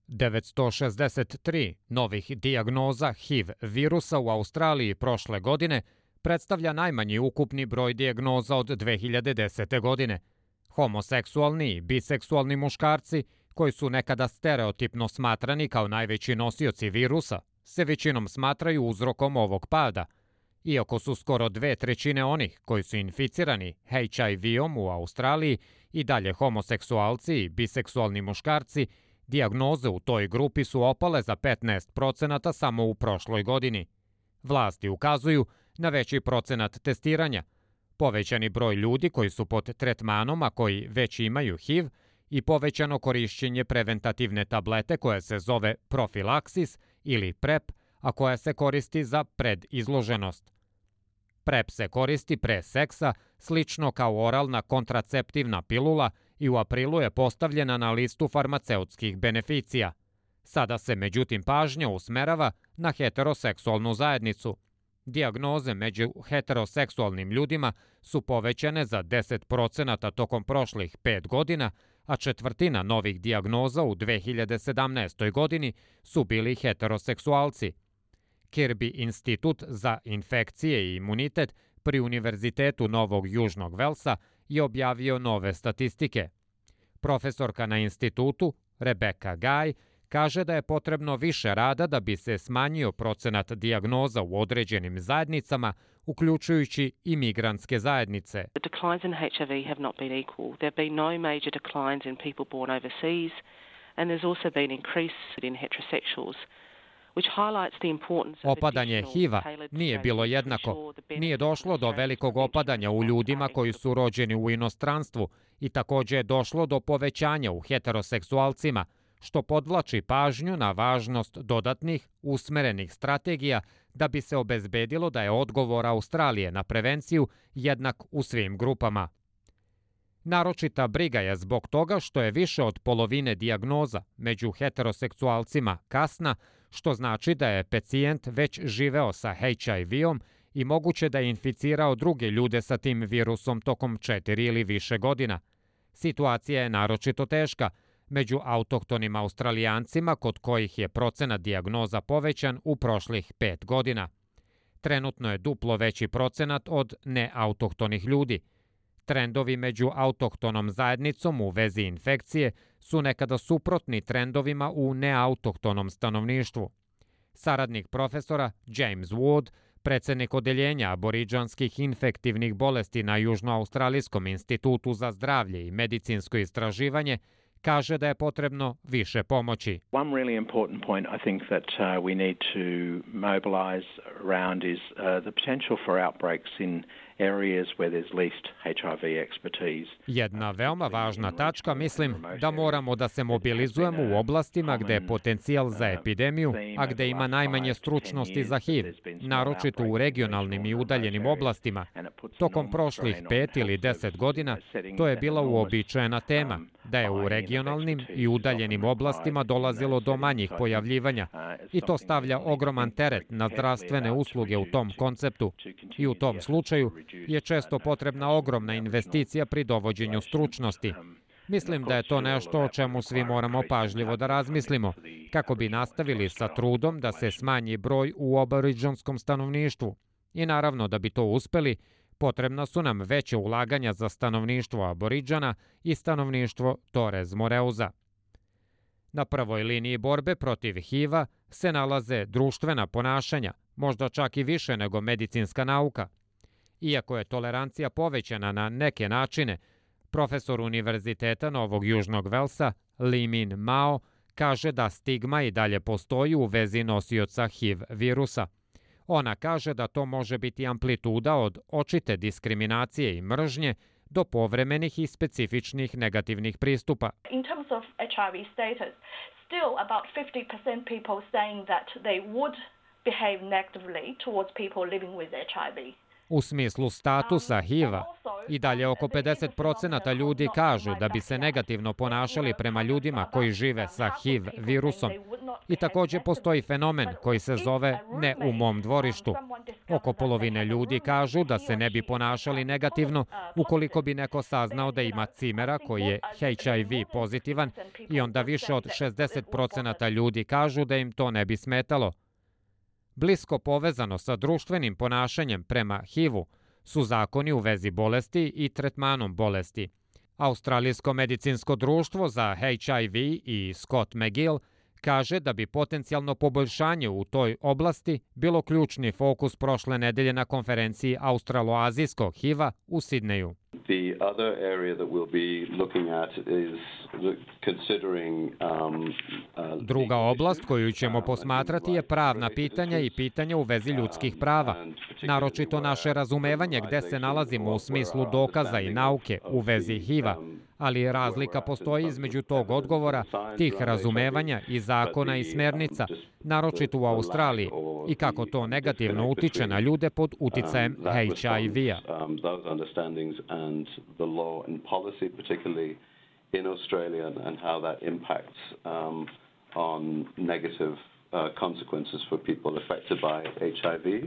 963 novih dijagnoza HIV virusa u Australiji prošle godine predstavlja najmanji ukupni broj dijagnoza od 2010. godine. Homoseksualni i biseksualni muškarci, koji su nekada stereotipno smatrani kao najveći nosioci virusa, se većinom smatraju uzrokom ovog pada. Iako su skoro 2/3 onih koji su inficirani HIV-om u Australiji i dalje homoseksualci i biseksualni muškarci, dijagnoze u toj grupi su opale za 15% samo u prošloj godini. Vlasti ukazuju na veći procenat testiranja, povećani broj ljudi koji su pod tretmanom, a koji već imaju HIV, i povećano korišćenje preventativne tablete koja se zove profilaksis ili PrEP, a koja se koristi za predizloženost. PrEP se koristi pre seksa, slično kao oralna kontraceptivna pilula, i u aprilu je postavljena na listu farmaceutskih beneficija. Sada se međutim pažnja usmerava na heteroseksualnu zajednicu. Dijagnoze među heteroseksualnim ljudima su povećane za 10% tokom prošlih 5 godina, a četvrtina novih dijagnoza u 2017. godini su bili heteroseksualci. Kirby institut za infekcije i imunitet pri Univerzitetu Novog Južnog Velsa je objavio nove statistike. Profesorka na institutu, Rebecca Guy, kaže da je potrebno više rada da bi se smanjio procenat dijagnoza u određenim zajednicama, uključujući i migrantske zajednice. The declines in HIV have not been equal. There have been no major declines in people born overseas, and there's also been increase in heterosexuals. Opadanje HIV-a nije bilo jednako. Nije došlo do velikog opadanja u ljudima koji su rođeni u inostranstvu i također je došlo do povećanja u heteroseksualcima, što podvlači pažnju na važnost dodatnih, usmerenih strategija da bi se obezbedilo da je odgovor Australije na prevenciju jednak u svim grupama. Naročita briga je zbog toga što je više od polovine dijagnoza među heteroseksualcima kasna, što znači da je pacijent već živeo sa HIV-om i moguće da je inficirao druge ljude sa tim virusom tokom 4 ili više godina. Situacija je naročito teška među autohtonim Australijancima, kod kojih je procenat dijagnoza povećan u prošlih 5 godina. Trenutno je duplo veći procenat od neautohtonih ljudi. Trendovi među autohtonom zajednicom u vezi infekcije su nekada suprotni trendovima u neautohtonom stanovništvu. Saradnik profesora James Wood, predsednik odeljenja aboriđanskih infektivnih bolesti na Južnoaustralijskom institutu za zdravlje i medicinsko istraživanje, kaže da je potrebno više pomoći. One really important point I think that we need to mobilize around is the potential for outbreaks in areas where there's least HIV expertise. Jedna veoma važna tačka, mislim, da moramo da se mobilizujemo u oblastima gde je potencijal za epidemiju, a gde ima najmanje stručnosti za HIV, naročito u regionalnim i udaljenim oblastima. Tokom prošlih 5 ili 10 godina to je bila uobičajena tema, da je u regionalnim i udaljenim oblastima dolazilo do manjih pojavljivanja i to stavlja ogroman teret na zdravstvene usluge u tom konceptu. I u tom slučaju je često potrebna ogromna investicija pri dovođenju stručnosti. Mislim da je to nešto o čemu svi moramo pažljivo da razmislimo, kako bi nastavili sa trudom da se smanji broj u aboriđanskom stanovništvu. I naravno, da bi to uspeli, potrebna su nam veće ulaganja za stanovništvo aboriđana i stanovništvo Torres Moreuza. Na prvoj liniji borbe protiv HIV-a se nalaze društvena ponašanja, možda čak i više nego medicinska nauka. Iako je tolerancija povećana na neke načine, profesor Univerziteta Novog Južnog Velsa, Li Min Mao, kaže da stigma i dalje postoji u vezi nosioca HIV virusa. Ona kaže da to može biti amplituda od očite diskriminacije i mržnje do povremenih i specifičnih negativnih pristupa. In terms of HIV status, still about 50% people saying that they would behave negatively towards people living with HIV. U smislu statusa HIV-a, i dalje oko 50% ljudi kažu da bi se negativno ponašali prema ljudima koji žive sa HIV virusom. I također postoji fenomen koji se zove ne u mom dvorištu. Oko polovine ljudi kažu da se ne bi ponašali negativno ukoliko bi neko saznao da ima cimera koji je HIV pozitivan i onda više od 60% ljudi kažu da im to ne bi smetalo. Blisko povezano sa društvenim ponašanjem prema HIV-u su zakoni u vezi bolesti i tretmanom bolesti. Australijsko medicinsko društvo za HIV i Scott McGill kaže da bi potencijalno poboljšanje u toj oblasti bilo ključni fokus prošle nedelje na konferenciji australoazijskog HIV-a u Sidneju. The other area that we'll be looking at is considering Druga oblast koju ćemo posmatrati je pravna pitanja i pitanja u vezi ljudskih prava, naročito naše razumevanje gde se nalazimo u smislu dokaza i nauke u vezi HIV-a, ali razlika postoji između tog odgovora, tih razumevanja i zakona i smernica, naročito u Australiji, i kako to negativno utiče na ljude pod uticajem HIV-a. And the law and policy, particularly in Australia, and how that impacts on negative consequences for people affected by HIV.